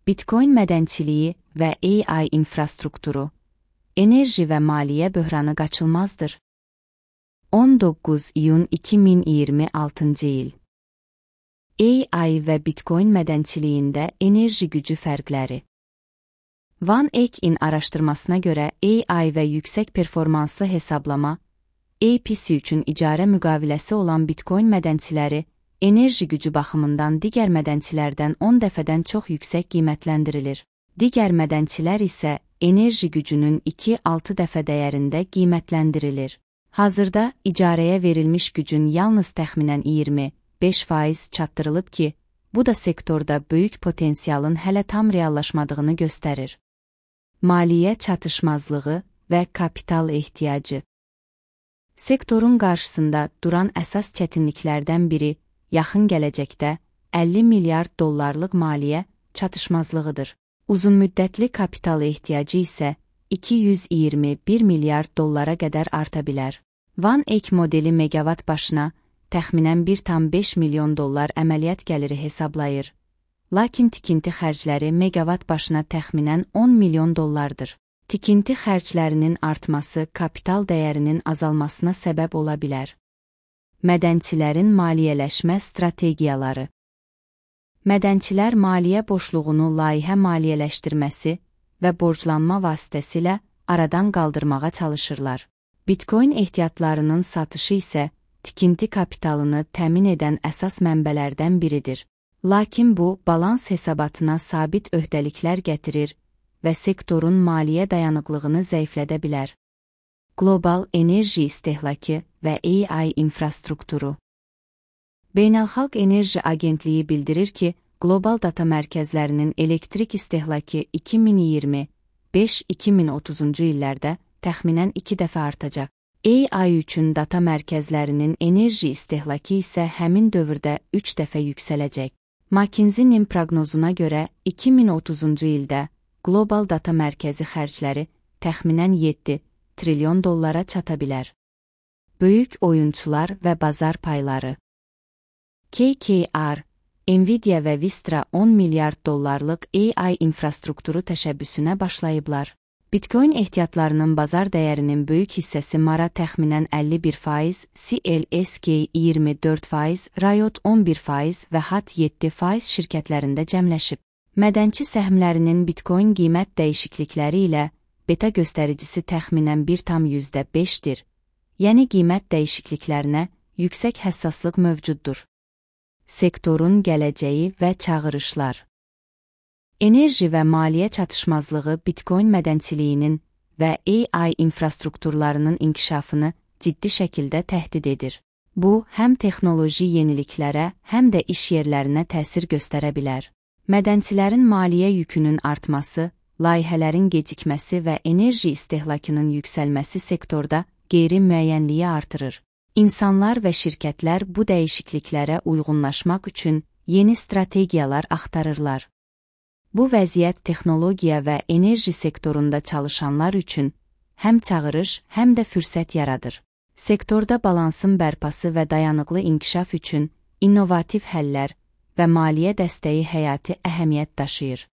Bitcoin mədənçiliyi və AI infrastrukturu, enerji və maliyyə böhranı qaçılmazdır. 19 iyun 2026-cı il. AI və Bitcoin mədənçiliyində enerji gücü fərqləri. Van Eck-in araşdırmasına görə AI və yüksək performanslı hesablama, APC üçün icarə müqaviləsi olan Bitcoin mədənçiləri, enerji gücü baxımından digər mədənçilərdən 10 dəfədən çox yüksək qiymətləndirilir. Digər mədənçilər isə enerji gücünün 2-6 dəfə dəyərində qiymətləndirilir. Hazırda icarəyə verilmiş gücün yalnız təxminən 25% çatdırılıb ki, bu da sektorda böyük potensialın hələ tam reallaşmadığını göstərir. Maliyyə çatışmazlığı və kapital ehtiyacı. Sektorun qarşısında duran əsas çətinliklərdən biri, yaxın gələcəkdə 50 milyard dollarlıq maliyyə çatışmazlığıdır. Uzunmüddətli kapital ehtiyacı isə 221 milyard dollara qədər arta bilər. Van Eck modeli megawatt başına təxminən 1,5 milyon dollar əməliyyat gəliri hesablayır. Lakin tikinti xərcləri megawatt başına təxminən 10 milyon dollardır. Tikinti xərclərinin artması kapital dəyərinin azalmasına səbəb ola bilər. Mədənçilərin maliyyələşmə strategiyaları. Mədənçilər maliyyə boşluğunu layihə maliyyələşdirməsi və borclanma vasitəsilə aradan qaldırmağa çalışırlar. Bitcoin ehtiyatlarının satışı isə tikinti kapitalını təmin edən əsas mənbələrdən biridir. Lakin bu, balans hesabatına sabit öhdəliklər gətirir və sektorun maliyyə dayanıqlığını zəiflədə bilər. Qlobal enerji istehlakı və AI infrastrukturu. Beynəlxalq Enerji Agentliyi bildirir ki, qlobal data mərkəzlərinin elektrik istehlakı 2025-2030-cu illərdə təxminən 2 dəfə artacaq. AI üçün data mərkəzlərinin enerji istehlakı isə həmin dövrdə 3 dəfə yüksələcək. McKinsey-nin proqnozuna görə 2030-cu ildə qlobal data mərkəzi xərcləri təxminən 7 trilyon dollara çata bilər. Böyük oyunçular və bazar payları. KKR, Nvidia və Vistra 10 milyard dollarlıq AI infrastrukturu təşəbbüsünə başlayıblar. Bitcoin ehtiyatlarının bazar dəyərinin böyük hissəsi Mara təxminən 51%, CLSK 24%, Riot 11% və HAT 7% şirkətlərində cəmləşib. Mədənçi səhmlərinin Bitcoin qiymət dəyişiklikləri ilə beta göstəricisi təxminən 1,5-dir, yəni qiymət dəyişikliklərinə yüksək həssaslıq mövcuddur. Sektorun gələcəyi və çağırışlar. Enerji və maliyyə çatışmazlığı Bitcoin mədənçiliyinin və AI infrastrukturlarının inkişafını ciddi şəkildə təhdid edir. Bu, həm texnoloji yeniliklərə, həm də iş yerlərinə təsir göstərə bilər. Mədənçilərin maliyyə yükünün artması, layihələrin gecikməsi və enerji istehlakının yüksəlməsi sektorda qeyri-müəyyənliyi artırır. İnsanlar və şirkətlər bu dəyişikliklərə uyğunlaşmaq üçün yeni strategiyalar axtarırlar. Bu vəziyyət texnologiya və enerji sektorunda çalışanlar üçün həm çağırış, həm də fürsət yaradır. Sektorda balansın bərpası və dayanıqlı inkişaf üçün innovativ həllər və maliyyə dəstəyi həyati əhəmiyyət daşıyır.